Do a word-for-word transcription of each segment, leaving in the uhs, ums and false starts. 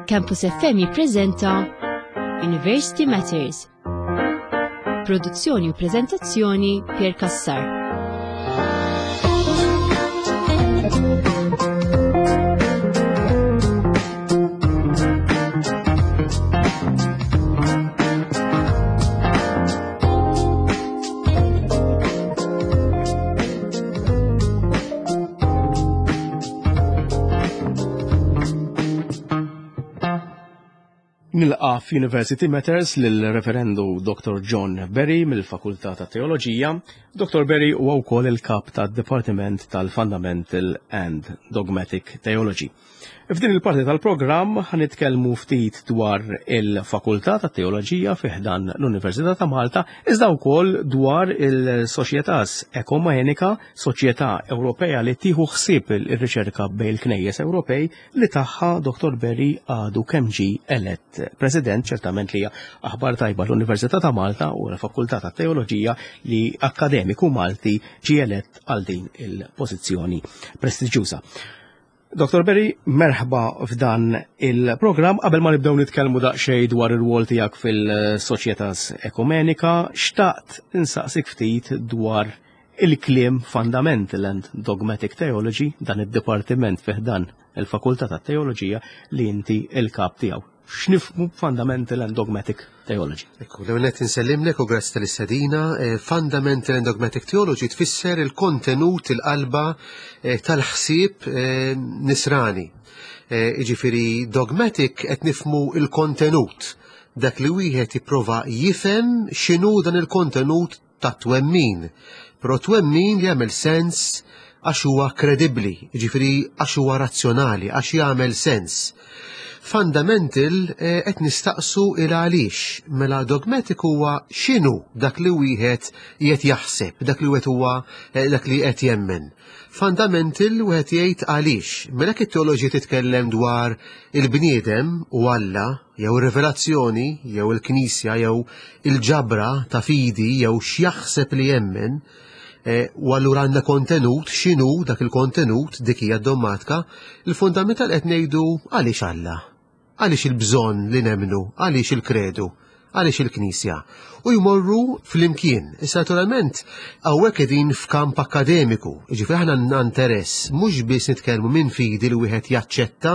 Campus F M jippreżenta University Matters. Produzzjoni u preżentazzjoni, Pier Cassar. Nilqa f'University Matters lill-Reverendu Doctor John Berry mill-Fakultà ta' Teoloġija. Doctor Berry huwa wkoll il-kap tad-Dipartiment tal-Fundamental and Dogmatic Theology. F'din il-parti tal-programm ħanitkellmu ftit dwar il-Fakultà ta' Teoloġija fi ħdan l-Università ta' Malta, iżda wkoll dwar il-Societas Ekumenica, Soċjetà Ewropea li tieħu ħsieb ir-riċerka bejn il-Knejjes Ewropej, li tagħha Doctor Berry għadu kemm ġie elett President. Ċertament li hija aħbar tajba l-Università ta' Malta u l-Fakultà ta' Teoloġija li akademiku Malti ġie elett għal din il-pożizzjoni prestiġjuża. Doctor Berry, merħba f'dan il-programm. Qabel ma nibdew nitkellmu daqsxejn dwar ir-rwol tiegħek fil-Societas Ekumenica, xtaqt insaqsik ftit dwar il-kliem Fundamental and Dogmatic Theology, dan id-dipartiment fi ħdan il-Fakultà ta' Teoloġija li inti il-kap tiegħu. X'nifhmu Fundamental and Dogmatic Theology? Ekku, l-ewwel insellimlek u grazzi tal-istedina. Eh, Fundamental and Dogmatic Theology tfisser il-kontenut, il-qalba eh, tal-ħsieb eh, nisrani. Jiġifieri dogmatic qed nifhmu il-kontenut, dak li wieħed jipprova jifhem x'inhu dan il-kontenut ta' twemmin. Però twemmin li jagħmel sens għax huwa kredibbli, jiġifieri għax huwa razzjonali, għax jagħmel sens. Fundamental eh, qed nistaqsu il għaliex, mela dogmatic huwa x'inhu dak li wieħed qed jaħseb, dak li wieħed huwa eh, dak li qed jemmen. Fundamental wieħed jgħid għaliex. Mela it-teoloġija titkellem dwar il-bniedem u Alla, jew ir-rivelazzjoni, jew il-Knisja, jew il-ġabra ta' fidi, jew x'jaħseb li jemmen, eh, u allura għandna kontenut, x'inhu dak il-kontenut, dik hija d-dommatika, il-fundamental qed ngħidu għaliex Alla. Għaliex il-bżonn li nemmnu, għaliex il-kredu, għaliex il-Knisja. U jmorru flimkien. Issa naturalment, hawnhekk qegħdin f'kamp akademiku, jiġifieri aħna għandna interess mhux biss nitkellmu minn fidi li wieħed jaċċetta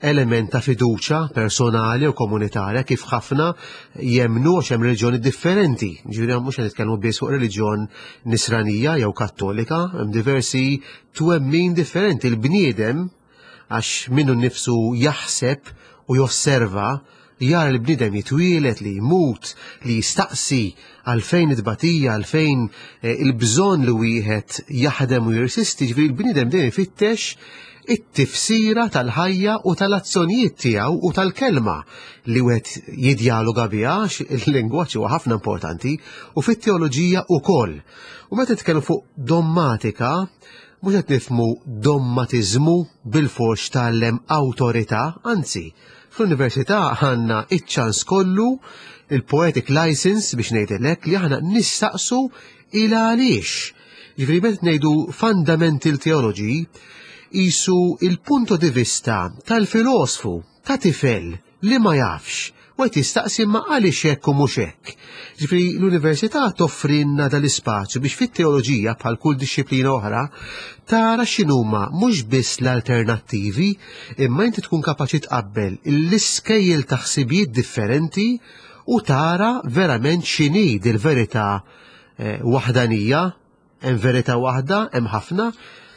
element ta' fiduċa personali u komunitarja, kif ħafna jemnu, għax hemm reliġjoni differenti. Ġifieri mhux qed nitkellmu biss fuq reliġjon nisranija jew kattolika, hemm diversi twemmin differenti. Il-bniedem, għax minnu nnifsu jaħseb u josserva, jara li bniedem jitwielet, li jmut, li jistaqsi għalfejn it-tbatija, għalfejn eh, il-bżonn li wieħed jaħdem u jirsisti, ġifieri il-bniedem dejjem ifittex it-tifsira tal-ħajja u tal-azzjonijiet tiegħu u tal-kelma li wieħed jidjaloga biha, il-lingwaġġ huwa ħafna importanti u fit-teoloġija wkoll. U meta nitkellmu fuq dommatika, mhux qed nifhmu dommatiżmu bil-fors tgħallem awtorità, anzi, fl-università għandna iċ-ċans kollu, il-poetic license biex ngħidilek li aħna nistaqsu il għaliex. Ġifieri meta ngħidu fundamental theology, qisu il-punto di vista tal-filosfu, ta' tifel li ma jafx, u qed jistaqsi ma għaliex hekk u mhux hekk. Ġifieri l-università toffrinna dal-ispazju biex fit-teoloġija, bħal kull dixxiplina oħra, tara x'inhuma mhux biss l-alternattivi, imma inti tkun kapaċi tqabbel l-iskejjel ta' ħsibijiet differenti u tara verament x'inhi dil-verità eh, waħdanija, hemm verità waħda, hemm ħafna.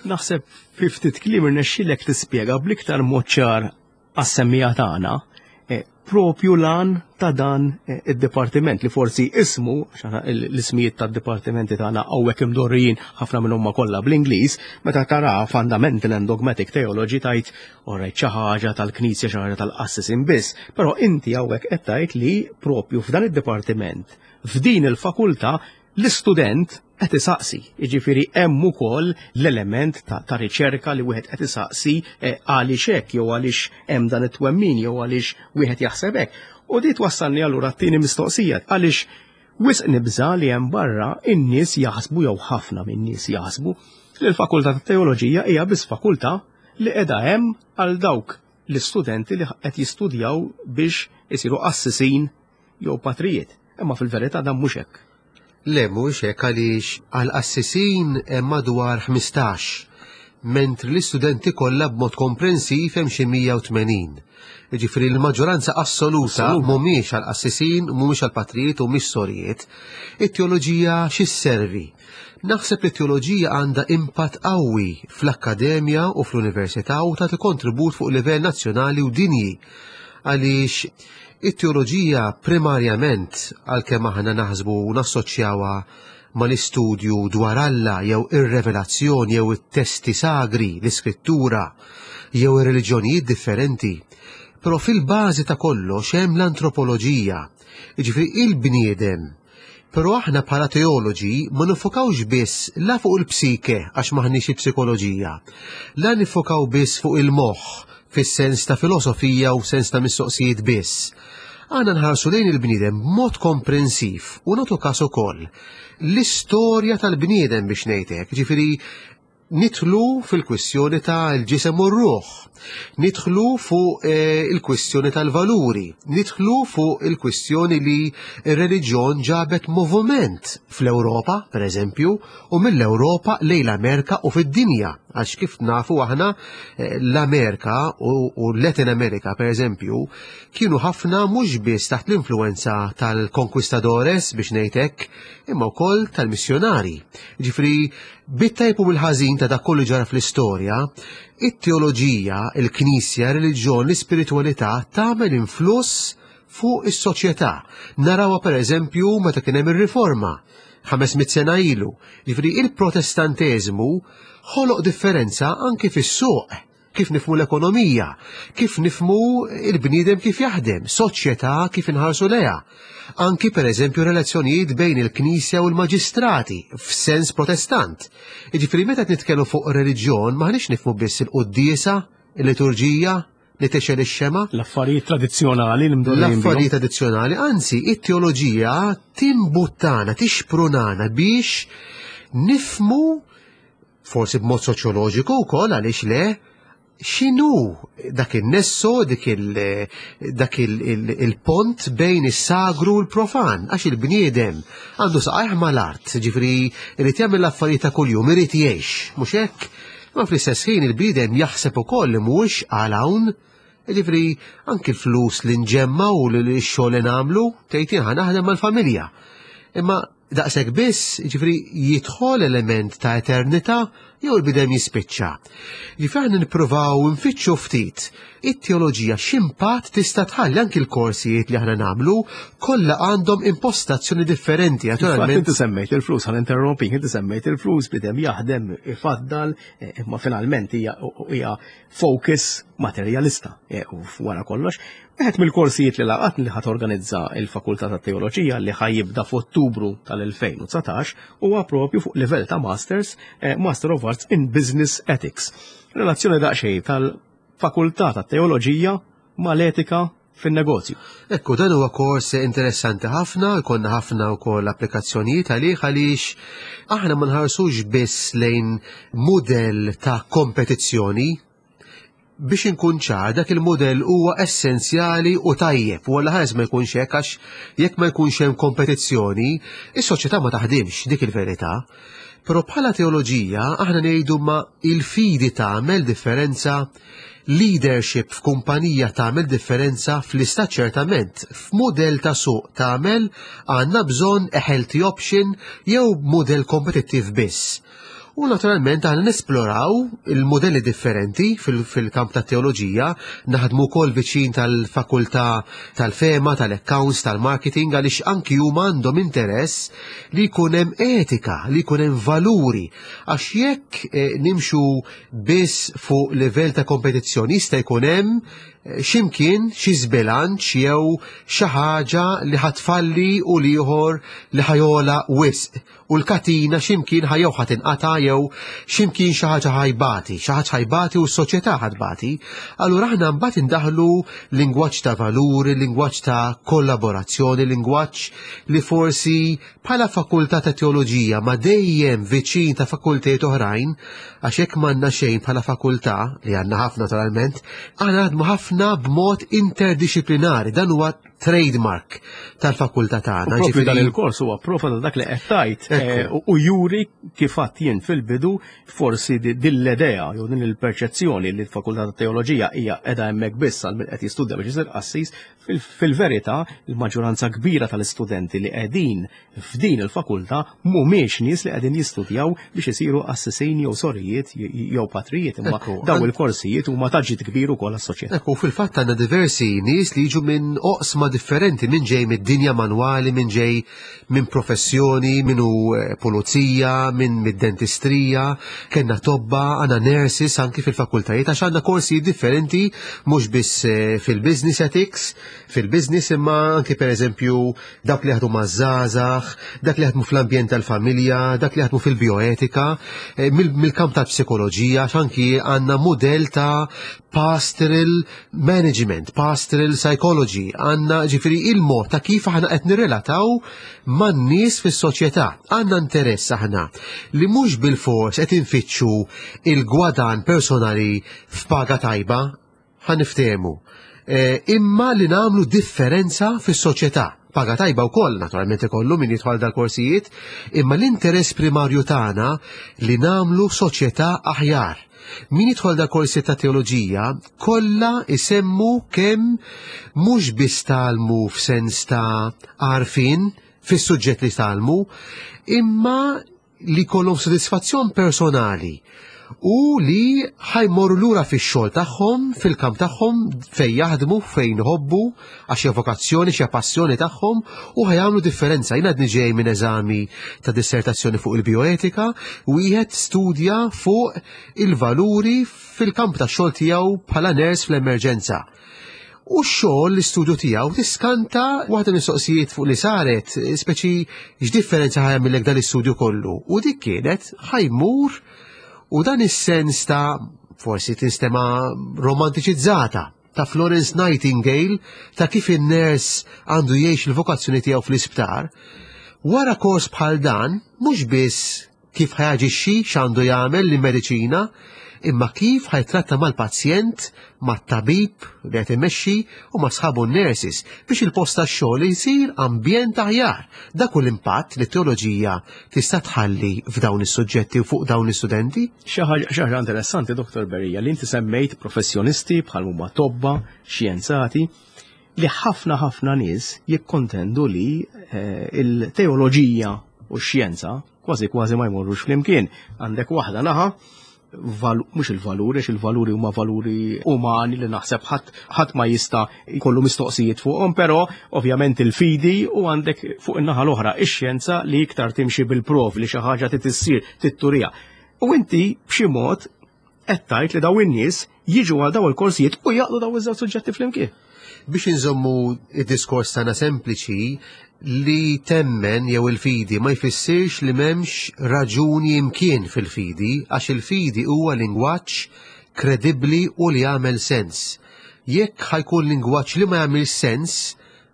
Naħseb fi ftit kliem irnexxielek tispjega bl-iktar mod ċar għas-semmiegħa tagħna eh, propju l-għan ta' dan eh, id-dipartiment li forsi ismu, għax aħna l-ismijiet tad-dipartimenti tagħna hawnhekk imdorrijin ħafna minnhom ma kollha bl-Ingliż, meta tara Fundamental and Dogmatic Theology tajt orrejt xi ħaġa tal-Knisja, xi ħaġa tal-qassisin biss, però inti hawnhekk qed tgħid li propju f'dan id-dipartiment, f'din il-fakultà, l-istudent qed isaqsi, jiġifieri hemm ukoll l-element ta', ta' riċerka li wieħed qed isaqsi eh, għaliex hekk jew għaliex hemm dan it-twemmin jew għaliex wieħed jaħseb hekk. U di twassalni allura t-tieni mistoqsija, għaliex wisq nibża li hemm barra in-nies jaħsbu, jew ħafna min-nies jaħsbu, li l-Fakultà tat Teoloġija hija biss fakultà li qiegħda hemm għal dawk l-istudenti li qed jistudjaw biex isiru qassisin jew patrijiet. Imma fil-verità dan mhux hekk. Le, mhuwiex hekk, għaliex għal qassisin hemm madwar ħmistax, mentri l-istudenti kollha b'mod komprensiv hemm xi mija u tmenin. Jiġifieri l-maġġoranza assoluta mhumiex għal qassisin, mhumiex għal patrijiet u mhix sorijiet. It-teoloġija xi sservi? Naħseb li t-teoloġija għandha impatt qawwi fl-akkademja u fl-università u tagħti kontribut fuq livell nazzjonali u dinji. Għaliex it-teoloġija primarjament, għalkemm aħna naħsbu u nassoċjawha mal-istudju dwar Alla jew ir-revelazzjoni jew it-testi sagri, l-iskrittura, jew ir-reliġjonijiet differenti, però fil-bażi ta' kollox hemm l-antropoloġija, jiġifieri il-bniedem. Però aħna bħala teoloġi ma nifokawx biss la fuq il-psike, għax maħniex il-psikoloġija, la nifokaw biss fuq il-moħħ fis-sens ta' filosofija u sens ta' mistoqsijiet biss. Għandna nħarsu lejn il-bniedem b'mod komprensiv u nagħtu każ ukoll l-istorja tal-bniedem, biex ngħidlek, ġifieri nidħlu fil-kwistjoni ta' l-ġisem u r-ruħ, nidħlu fuq eh, il-kwistjoni tal-valuri, nidħlu fuq il-kwistjoni li il-reliġjon ġabet moviment fl-Ewropa, per eżempju, u mill-Ewropa lejn l-Amerika u fid-dinja. Għax kif nafu aħna, eh, l-Amerika u, u Latin America, per eżempju, kienu ħafna mhux biss taħt l-influenza tal-conquistadores, biex ngħidlek, imma wkoll tal-missjonari. Ġifieri, bit-tajjeb u bil-ħażin ta' dak kollu ġara fl-istorja, it-teoloġija, il-knisja, il-reliġjon, l-ispiritualità tagħmel influss fuq is-soċjetà. Narawha, per eżempju, meta kien hemm ir-riforma ħames mitt sena ilu. Ġifieri il-Protestanteżmu ħoloq differenza anki fis-suq, kif nifhmu l-ekonomija, kif nifhmu il-bniedem kif jaħdem, soċjetà kif inħarsu lejha. Anki, per eżempju, relazzjonijiet bejn il-Knisja u l-Maġistrati f'sens Protestant. Jiġifieri meta nitkellmu fuq reliġjon maħniex nifhmu biss il-quddiesa, il-liturġija, li tixgħel ix-xemgħa. L-affarijiet tradizzjonali li mdorrijin bihom. L-affarijiet tradizzjonali, anzi, it-teoloġija timbuttana, tixprunana biex nifhmu, forsi b'mod soċjoloġiku wkoll, għaliex le, x'inhu dak il-nesso, dik il- dak il- il- il-pont bejn is-sagru u l-profan, għax il-bniedem għandu saqajh mal-art, ġifieri irid jagħmel l-affarijiet ta' kuljum, irid jgħix, mhux hekk? Ma fl-istess ħin il-bniedem jaħseb ukoll li mhuwiex għal hawn, ġifieri anki l-flus li nġemma u li x-xogħol li nagħmlu, tgħid jien ħa naħdem mal-familja. Imma daqshekk biss, ġifieri jidħol element ta' eternità jew il-bniedem jispiċċa. Ġifieri aħna nippruvaw nfittxu ftit it-teoloġija x'impatt tista' tħalli. Anki l-korsijiet li aħna nagħmlu kollha għandhom impostazzjoni differenti, Infatti naturalment. inti semmejt il-flus, ħa ninterrompik, inti semmejt il-flus, bniedem jaħdem, ifaddal, eh, imma finalment hija hija focus materjalista, eh, u wara kollox. Wieħed mill-korsijiet li laqat li ħa torganizza il-Fakultà ta' Teoloġija li ħa jibda f'Ottubru tal-elfejn u dsatax huwa propju fuq livell ta' Masters, eh, Master of Arts in Business Ethics. Relazzjoni daqsxejn tal-Fakultà ta' Teoloġija mal-etika fin-negozju. Ekku, dan huwa kors interessanti ħafna, jkollna ħafna wkoll applikazzjonijiet għalih, għaliex aħna ma nħarsux biss lejn mudell ta' kompetizzjoni. Biex inkun ċar, dak il-modell huwa essenzjali u tajjeb, u għalla ħares ma jkunx hekk, għax jekk ma jkunx hemm kompetizzjoni, is-soċjetà ma taħdimx, dik il-verità. Però bħala teoloġija aħna ngħidu ma il-fidi tagħmel differenza, leadership f'kumpanija tagħmel differenza, fl-istat ċertament, f'modell ta' suq tagħmel, għandna bżonn a healthy option jew modell kompetittiv biss. U naturalment aħna nesploraw il-modelli differenti fil-kamp ta' teoloġija, naħdmu wkoll viċin tal-fakultà tal-fema, tal-accounts, tal-marketing, għaliex anki huma għandhom interess li jkun hemm etika, li jkun hemm valuri. Għax jekk eh, nimxu biss fuq livell ta' kompetizzjoni jista' jkun hemm X'imkien xi żbilanċ jew xi ħaġa li ħa tfalli u l-ieħor li ħa jogħla wisq. U l-katina x'imkien ħa jew ħa tinqata' jew x'imkien xi ħaġa ħa jbati, xi ħaġa ħa jbati u s-soċjetà ħa tbati. Allura aħna mbagħad indaħlu lingwaġġ ta' valuri, lingwaġġ ta' kollaborazzjoni, lingwaġġ li forsi bħala fakultà ta' teoloġija ma dejjem viċin ta' fakultajiet oħrajn, għax hekk m'għandna xejn bħala fakultà, li għandna ħafna naturalment, aħna naħdmu ħafna b'mod interdisciplinari, dan huwa trademark tal-fakultà tagħna. Propju dan il-kors huwa prova ta' dak li qed tgħid eh, u juri kif għedt jien fil-bidu forsi din l-idea jew din il-perċezzjoni li l-fakultà ta' teoloġija hija qiegħda hemmhekk biss għal min qed jistudja biex isir qassis, fil-verità il-maġġoranza kbira tal-istudenti li qegħdin f'din il-fakultà mhumiex nies li qegħdin jistudjaw biex isiru qassisin jew sorijiet jew patrijiet, imma daw il-korsijiet huma ta' ġid kbir ukoll għas-soċjetà. Ekku, fil-fatt għandna diversi nies li jiġu minn oqsma differenti, minn ġej mid-dinja manwali, minn ġej minn professjoni, minn hu pulizija, minn mid-dentistrija, kellna tobba, għandna nurses anki fil-fakultajiet, għax għandna korsi differenti mhux biss fil-business ethics, fil-business imma anki per eżempju dak li jaħdmu maż-żgħażagħ, dak li jaħdmu fl-ambjent tal-familja, dak li jaħdmu fil-bioetika, mill-kamp tal-psikoloġija, għax anki għandna mudell ta' pastoral management, pastoral psychology, għandna ġifieri il-mod ta' kif aħna qed nirrelataw man-nies fis-soċjetà. Għandna interess aħna li mhux bil-fors qed infittxu il-gwadan personali f'paga tajba, ħa niftehmu, imma li nagħmlu differenza fis-soċjetà. Paga tajba wkoll naturalment ikollu min jidħol dal-korsijiet, imma l-interess primarju tagħna li nagħmlu soċjetà aħjar. Min jidħol dal-korsijiet ta' teoloġija kollha isemmu kemm mhux biss tgħallmu f'sens ta' għarfien fis-suġġett li tgħallmu, imma li kollhom sodisfazzjon personali u li ħa jmorru lura fix-xogħol tagħhom, fil-kamp tagħhom fejn jaħdmu, fejn iħobbu, għax hija vokazzjoni, xi passjoni tagħhom u ħa jagħmlu differenza. Jien għadni ġej minn eżami ta' dissertazzjoni fuq il-bioetika u wieħed studja fuq il-valuri fil-kamp tax-xogħol tiegħu bħala nurse fl-emerġenza. U x-xogħol l-istudju tiegħu tiskanta waħda mistoqsijiet fuq li saret, speċi x'differenza ħa jagħmillek dan l-istudju kollu. U dik kienet ħa jmur u dan is-sens ta' forsi tinstema romantiċizzata ta' Florence Nightingale ta' kif in-nurse għandu jgħix il-vokazzjoni tiegħu fl-isptar. Wara kors bħal dan, mhux biss kif ħa jaġixxi x'għandu jagħmel l-mediċina, imma kif ħa jittratta mal-pazjent, mat-tabib li qed imexxi u ma' sħabu n-nurses biex il-post tax-xogħol jsir ambjent aħjar. Dak hu l-impatt li t-teoloġija tista' tħalli f'dawn is-suġġetti u fuq dawn l-istudenti. Xi ħaġa interessanti, Doktor Berry, li inti semmejt professjonisti bħal huma tobba, xjenzati, li ħafna ħafna nies jikkontendu li il-teoloġija u x-xjenza kważi kważi ma jmorrux flimkien. Għandek waħda naħa, mhux il-valuri, għax il-valuri huma valuri umani li naħseb ħadd ma jista' jkollu mistoqsijiet fuqhom, però ovvjament il-fidi u għandek fuq in-naħa l-oħra ix-xjenza li iktar timxi bil-prov li xi ħaġa trid issir titturija. U inti b'xi mod qed tgħid li daw in-nies jiġu għal daw il-korsijiet u jaqdu daw iż-żewġ suġġetti flimkien. Biex inżommu id-diskors tagħna sempliċi, li temmen jew il-fidi ma jfissirx li m'hemmx raġuni imkien fil-fidi, għax il-fidi huwa lingwaġġ kredibbli u li jagħmel sens. Jekk ħa jkun lingwaġġ li ma jagħmel sens,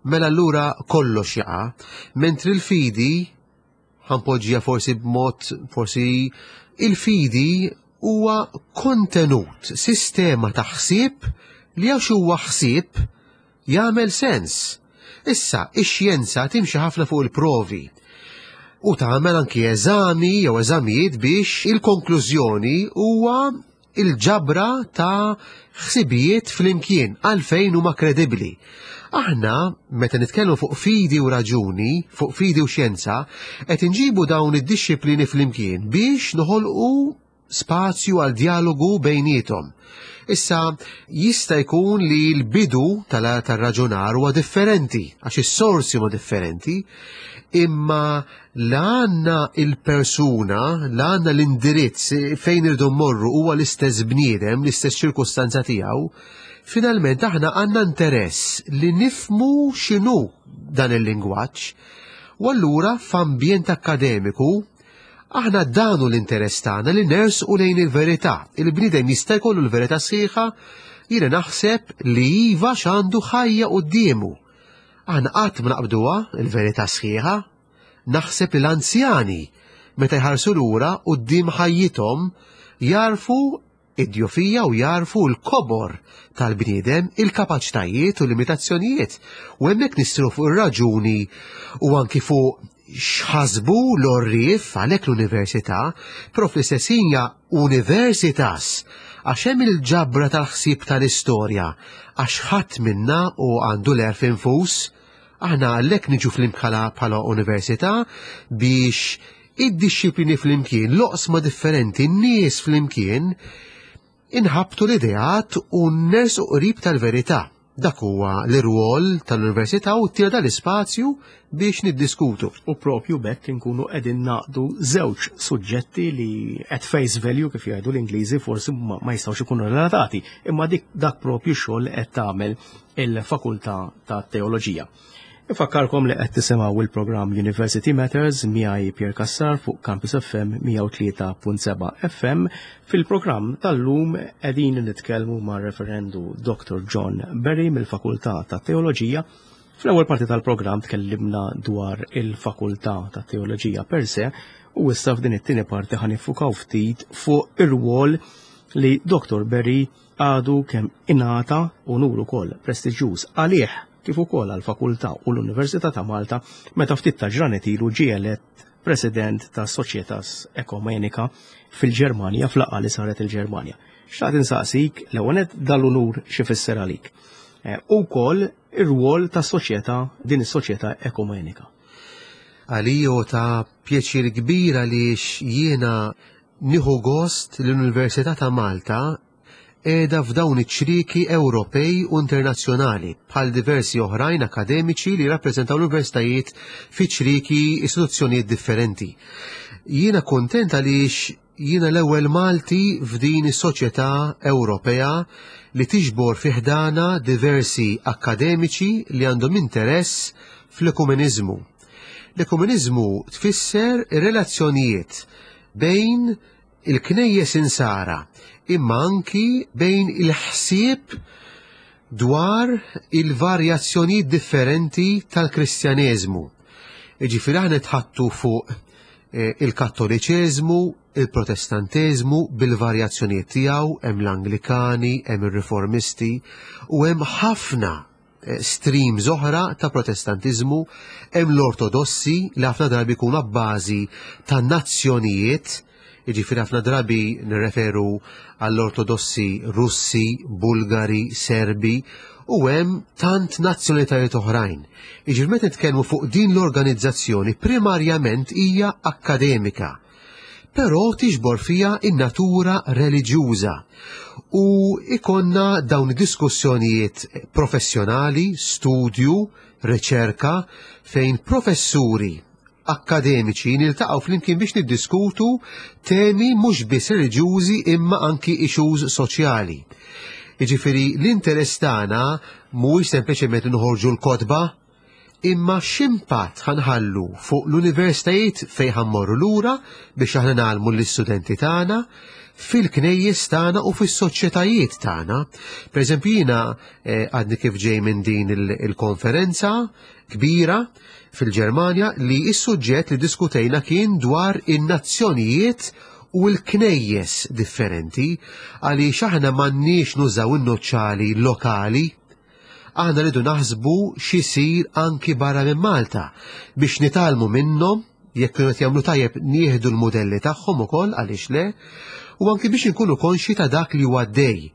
mela allura kollox jaqa', mentri l-fidi ħa npoġġiha forsi b'mod forsi il-fidi huwa kontenut, sistema ta' ħsieb li għax huwa ħsieb jagħmel sens. Issa, ix-xjenza timxi ħafna fuq il-provi u tagħmel anki eżami jew eżamijiet biex il-konklużjoni huwa il-ġabra ta' ħsibijiet flimkien għalfejn huma kredibbli. Aħna, meta nitkellmu fuq fidi u raġuni, fuq fidi u xjenza, qed inġibu dawn id-dixxiplini flimkien biex noħolqu spazju għal dialogu bejniethom. Issa, jista' jkun li l-bidu tal-raġunar huwa differenti, għax is-sorsi huma differenti, imma la għandna il-persuna, la għandna l-indirizz fejn irdu mmorru huwa l-istess bniedem, l-istess ċirkustanza tiegħu, Finalment aħna għandna interess li nifmu x'inhu dan il-lingwaġġ, u allura f'ambjent akkademiku aħna danu l-interess tagħna li nersqu lejn il-verità. Il-bniedem jista' jkollu l-verità sħiħa, jiena naħseb li iva x'għandu ħajja quddiemu. Aħna qatt ma naqbduha il-verità sħiħa. Naħseb li l-anzjani meta jħarsu lura quddiem ħajjithom jarfu id-djufija u jarfu l-kobor tal-bniedem, il-kapaċitajiet u limitazzjonijiet. U hemmhekk nistru fuq ir-raġuni u anki fuq x'ħasbu l-orrif għalhekk l-università, però fl-istess hija universitas għax hemm il-ġabra tal-ħsieb tal-istorja, għax ħadd minna u għandu l-għerf infus. Aħna għalhekk niġu flimkien bħala università biex id-dixxiplini flimkien, l-oqsma differenti, n-nies flimkien, inħabtu l-ideat u nersqu qrib tal-verità. Dak huwa l-irwol tal-università u t dal-ispazju biex niddiskutu. U propju bekk inkunu qegħdin naqdu żewġ suġġetti li at face value, kif jgħidu l-Ingliżi, forsi ma, ma jistgħux ikunu relatati, imma dik dak propju xogħol qed tagħmel il-Fakultà ta' Teoloġija. Infakkarkom li qed tisimgħu il-programm University Matters miegħi Pierre Cassar fuq Campus F M mija u tlieta punt seba' F M. Fil-programm tal-lum qegħdin nitkellmu ma' Reverendu Doctor John Berry mill-Fakultà ta' Teoloġija. Fl-ewwel parti tal-programm tkellimna dwar il-Fakultà ta' Teoloġija per se u issa f'din it-tieni parti ħa niffukaw ftit fuq ir-rwol li Doctor Berry għadu kemm ingħata, unur ukoll prestiġjuż għalih kif ukoll għall-Fakultà u l-Università ta' Malta, meta ftit ta' ġranet ilu ġie elett President ta' Societas Ekumenica fil-Ġermanja, f'laqgħa li saret il-Ġermanja. Xtaqt insaqsik l-ewwel dal-unur x'ifisser għalik. Eh, u wkoll ir-rwol ta' soċjetà, din is-soċjetà ekumenika. Għalija ta' pjaċir kbir għaliex jiena nieħu gost l-Università ta' Malta qiegħda f'dawn iċ-ċrieki Ewropej u internazzjonali bħal diversi oħrajn akademiċi li rappreżentaw l-universitajiet fi ċrieki istituzzjonijiet differenti. Jiena kontent għaliex jiena l-ewwel Malti f'din is-soċjetà Ewropea li tiġbor fi ħdana diversi akademiċi li għandhom interess fl-ekumeniżmu. L-ekumeniżmu tfisser relazzjonijiet bejn il-knejjes insara, imma anki bejn il-ħsieb dwar il-varjazzjonijiet differenti tal-Kristjaneżmu. Ġifieri aħna nitħaddtu fuq eh, il-Kattoliċeżmu, il-Protestanteżmu bil-varjazzjonijiet tiegħu, hemm l-Anglikani, hemm ir-Riformisti u hemm ħafna eh, streams oħra ta' Protestantiżmu, hemm l-Ortodossi li ħafna drabi jkunu abbażi ta' nazzjonijiet, jiġifieri ħafna drabi nirreferu għall-Ortodossi Russi, Bulgari, Serbi u hemm tant nazzjonalitajiet oħrajn. Jiġifieri meta nitkellmu fuq din l-organizzazzjoni, primarjament hija akkademika, però tiġbor fija in-natura reliġjuża. U ikonna dawn diskussjonijiet professjonali, studju, riċerka, fejn professuri akademiċi niltaqgħu flimkien biex niddiskutu temi mhux biss reliġjużi imma anki issues soċjali. Jiġifieri l-interess tagħna mhuwiex sempliċement noħorġu l-kotba, imma x'impatt ħa nħallu fuq l-universitajiet fejn ħa mmorru lura biex aħna ngħallmu l-istudenti tagħna, fil-knejjes tagħna u fis-soċjetajiet tagħna. Per eżempju jiena eh, għadni kif ġej minn din il-konferenza kbira fil-Ġermanja li is-suġġett li diskutejna kien dwar in-nazzjonijiet u l-knejjes differenti, għaliex aħna m'għandniex nużaw in-nuċċali lokali, aħna rridu naħsbu x'isir anki barra minn Malta biex nitgħallmu minnhom, jekk kienu qed jagħmlu tajjeb nieħdu l-mudelli tagħhom ukoll, għaliex le, u anki biex inkunu konxi ta' dak li huwa għaddej.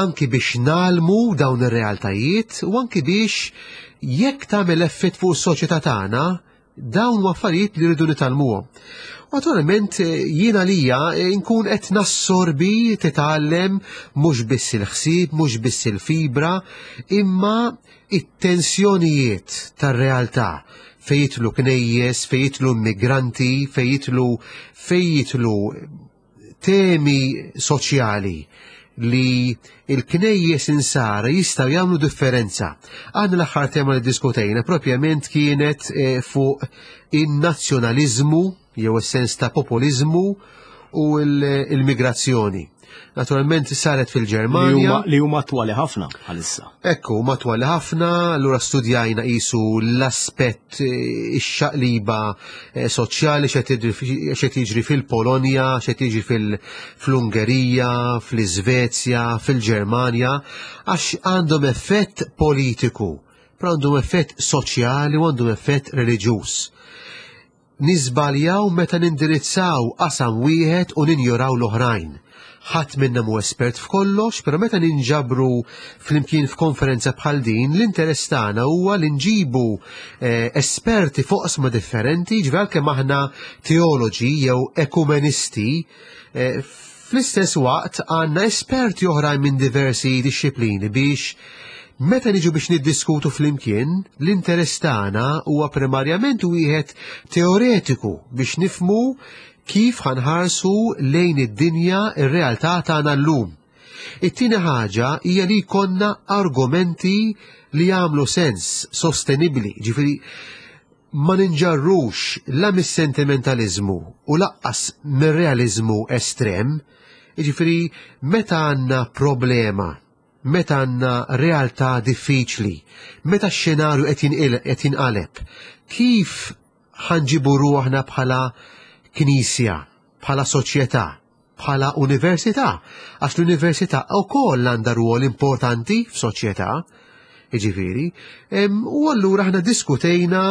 Anki biex ngħallmu dawn ir-realtajiet u anki biex jekk tagħmel effett fuq is-soċjetà tagħna, dawn huma affarijiet li rridu nitgħallmuhom. Naturalment jiena lija nkun qed nassorbi, titgħallem mhux biss il-ħsieb, mhux biss il-fibra, imma it-tensjonijiet tar-realtà fejn jidħlu knejjes, fejn jidħlu immigranti, fejn jidħlu fejn jidħlu temi soċjali Li il-knejjes insara jistgħu jagħmlu differenza. Għandna l-aħħar tema li diskutejna propjament kienet eh, fuq in-nazzjonaliżmu jew is-sens ta' populizmu u l-migrazzjoni. Naturalment saret fil-Ġermanja. Li huma attwali ħafna bħalissa. Ekku, huma attwali ħafna, allura studjajna qisu l-aspett, eh, ix-xaqliba eh, soċjali, x'qed jiġri fil-Polonja, x'qed jiġri fl-Ungerija, fl-Iżvezja, fil-Ġermanja, għax għandhom effett politiku, però għandhom effett soċjali u għandhom effett reliġjuż. Niżbaljaw meta nindirizzaw qasam wieħed u ninjoraw l-oħrajn. Ħadd minna mu espert f'kollox, però meta ninġabru flimkien f'konferenza bħal din, l-interess tagħna huwa li nġibu eh, esperti fuq differenti, ġifieri kemm aħna teoloġi jew ekumenisti, eh, fl-istess waqt għandna esperti oħrajn minn diversi dixxiplini biex meta niġu biex niddiskutu flimkien, l-interess tagħna huwa primarjament wieħed teoretiku biex nifmu kif ħa nħarsu lejn id-dinja, ir-realtà tagħna llum. It-tieni ħaġa hija li jkollna argumenti li jagħmlu sens, sostenibbli, ġifieri ma ninġarrux la mis-sentimentalizmu u lanqas mir-realizmu estrem, ġifieri meta għandna problema, meta għandna realtà diffiċli, meta x-xenarju qed jinqaleb, kif ħa nġibu ruħna bħala knisja, bħala soċjetà, bħala università, għax l-università wkoll għandha rwol importanti f'soċjetà, jiġifieri, u allura aħna diskutejna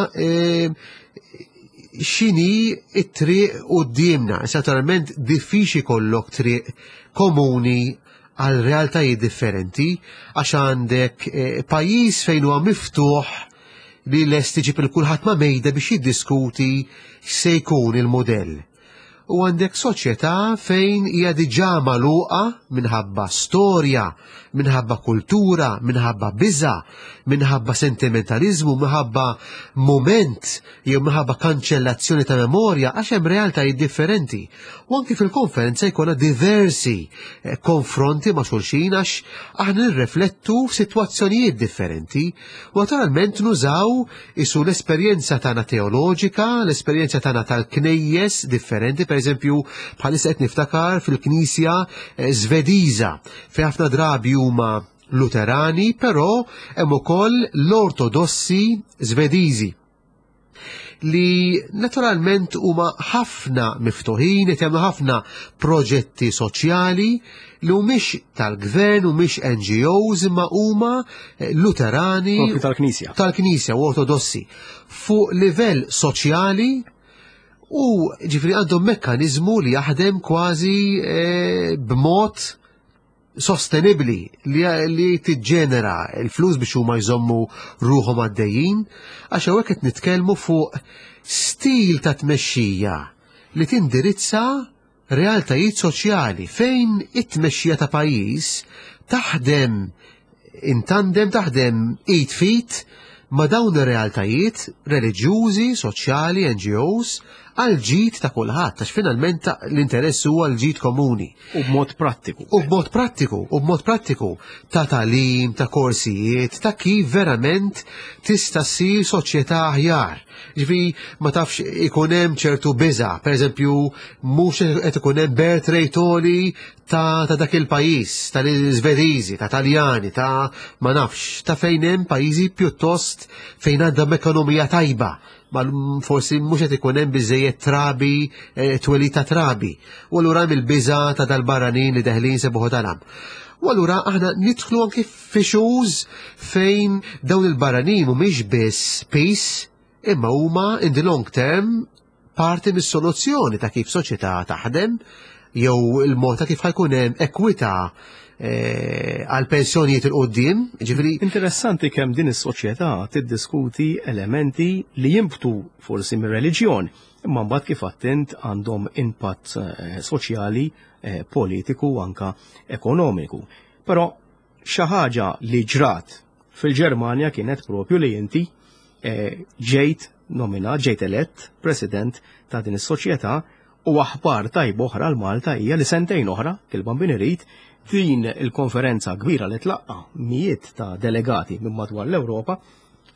x'inhi it-triq quddiemna. Naturalment diffiċli jkollok triq komuni għal realtajiet differenti, għax għandek eh, pajjiż fejn huwa miftuħ li lest iġib lil kulħadd ma' mejda biex jiddiskuti x'se jkun il-modell. U għandek soċjetà fejn hija diġà magħluqa minħabba storja, minħabba kultura, minħabba biża, minħabba sentimentalizmu, minħabba moment jew minħabba kanċellazzjoni ta' memorja, għax hemm realtajiet differenti. U anki fil-konferenza jkollna diversi eh, konfronti ma' xulxin għax aħna nirreflettu f'sitwazzjonijiet differenti u naturalment nużaw isu l-esperjenza tagħna teoloġika, l-esperjenza tagħna tal-knejjes differenti, per eżempju bħalissa qed niftakar fil-Knisja eh, Svediża fejn ħafna drabi huma Luterani, però hemm ukoll l-Ortodossi Svediżi li naturalment huma ħafna miftuħin, qed jagħmlu ħafna proġetti soċjali li mhumiex tal-gvern, mhumiex N G Os, imma huma eh, Luterani Propju tal-Knisja. Tal-Knisja u Ortodossi fuq livell soċjali u ġifieri għandhom mekkanizmu li jaħdem kważi eh, b'mod sostenibli li, li tiġġenera il-flus biex huma jżommu ruħhom għaddejjin, għax hawnhekk qed nitkellmu fuq stil ta' tmexxija li tindirizza realtajiet soċjali fejn it-tmexxija ta' pajjiż taħdem in tandem, taħdem id f'id ma' dawn ir-realtajiet reliġjużi, soċjali, N G Os, għal ġid ta' kulħadd, għax finalment l-interess huwa l-ġid komuni. U b'mod prattiku. U b'mod prattiku, u b'mod prattiku ta' tagħlim, ta' korsijiet, ta' kif verament tista' ssir soċjetà aħjar. Ġifieri ma tafx ikun hemm ċertu biża, pereżempju mhux qed ikun hemm birth rate għoli ta', ta' dak il-pajjiż, tal-Iżvediżi, ta' Taljani, ta' ma nafx, ta' fejn hemm pajjiżi pjuttost fejn għandhom ekonomija tajba, ma forsi mhux qed ikun hemm biżejjed trabi, eh, twelid ta' trabi. U allura hemm il-biża ta' dal-barranin li deħlin sebuħu talam. U allura aħna nidħlu anki f'issues fejn dawn il-barranin mhumiex biss piż, imma huma in the long term parti mis-soluzzjoni ta' kif soċjetà taħdem jew il-mod ta' kif ħa jkun hemm ekwità eh, għal pensjonijiet 'il quddiem, ġifieri. Interessanti kemm din is-soċjetà tiddiskuti elementi li jimbtu forsi mir-reliġjon, imma mbagħad kif attent għandhom impatt eh, soċjali, eh, politiku u anka ekonomiku. Però xi ħaġa li ġrat fil-Ġermanja kienet propju li inti ġejt nominat, ġejt elett president ta' din is-soċjetà, u aħbar tajba oħra l Malta hija li sentejn oħra, il-Bambin irid, Din il-konferenza kbira li tlaqqa mijiet ta' delegati minn madwar l-Ewropa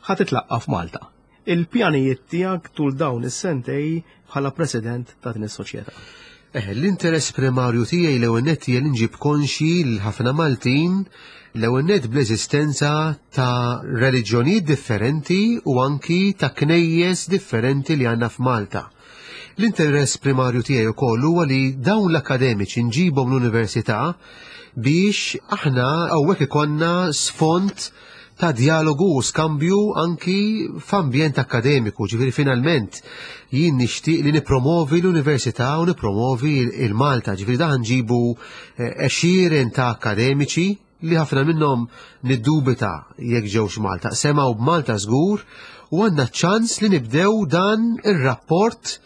ħa titlaqqa f'Malta. Il-pjanijiet tiegħek tul dawn is-sentejn bħala president ta' din is-soċjetà. Eh, l-interess primarju tiegħi l-ewwel nett hija li nġib konxi lil ħafna Maltin l-ewwel nett bl-eżistenza ta' reliġjonijiet differenti u anki ta' knejjes differenti li għandna f'Malta. L-interess primarju tiegħi wkoll huwa li dawn l-akademiċi nġibhom l-università biex aħna hawnhekk ikollna sfond ta' dialogu u skambju anki f'ambjent akademiku, ġifieri finalment jien nixtieq li nipromovi l-università u nipromovi il-Malta, ġifieri daħ nġibu għexieren ta' akademiċi li ħafna minnhom niddubita jekk ġewx Malta. Semgħu b'Malta żgur u għandna ċans li nibdew dan ir-rapport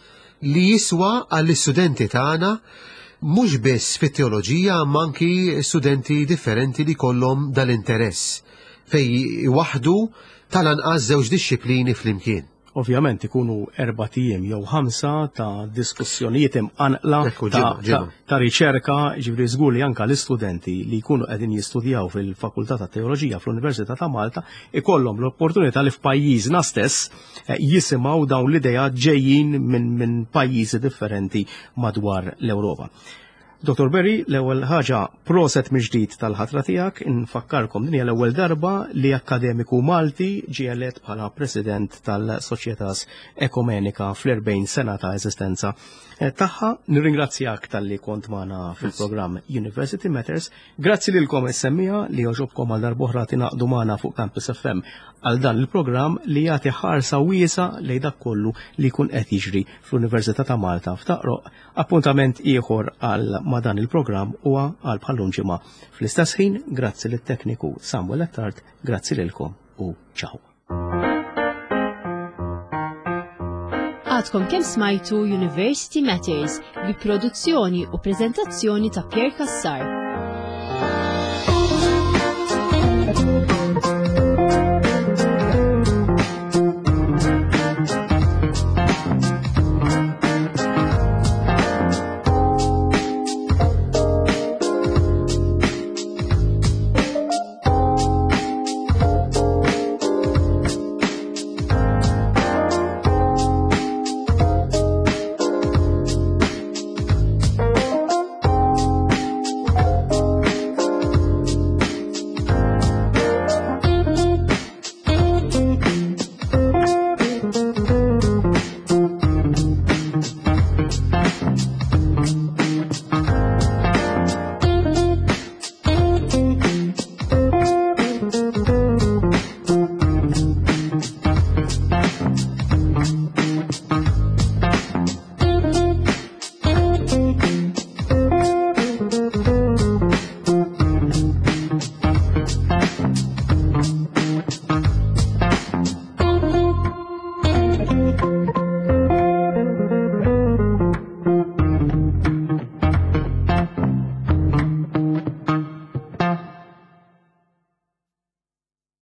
li jiswa għall-istudenti tagħna mhux biss fit-teoloġija ma anki studenti differenti li kollhom dal-interess fej waħdu tal-anqas żewġ dixxiplini flimkien. Ovvjament ikunu erbat ijiem jew ħamsa ta' diskussjonijiet imqanqla Ekku, ta', ġimgħa, ġimgħa. ta, ta' riċerka, ġifieri żgur li anka l-istudenti li jkunu qegħdin jistudjaw fil-Fakultà ta' Teoloġija fl-Università ta' Malta ikollhom l-opportunità li f'pajjiżna stess eh, jisimgħu dawn l-idea ġejjin minn min pajjiżi differenti madwar l-Ewropa. Dottor Berry, l-ewwel ħaġa, proset mill-ġdid tal-ħatra tiegħek. Infakkarkom, din hija l-ewwel darba li akademiku Malti ġie elett bħala president tal-Soċjetas Ekumenika fl-erbgħin sena ta' eżistenza eh, tagħha. Nirringrazzjak talli kont magħna fil-programm University Matters. Grazzi lilkom is-semmiegħa li għoġobkom għal darb'oħra tingħaqdu magħna fuq Campus F M għal dan il-programm li jagħti ħarsa wiesa lejn dak kollu li jkun qed jiġri fl-Università ta' Malta f'Taqroq. Appuntament ieħor għal ma' dan il-programm huwa għal bħallum ġimgħa fl-istess ħin. Grazzi lit-tekniku Samuel Attard, grazzi lilkom u ciao. Għadkom kemm smajtu University Matters bi produzzjoni u prezentazzjoni ta' Pierre Cassar.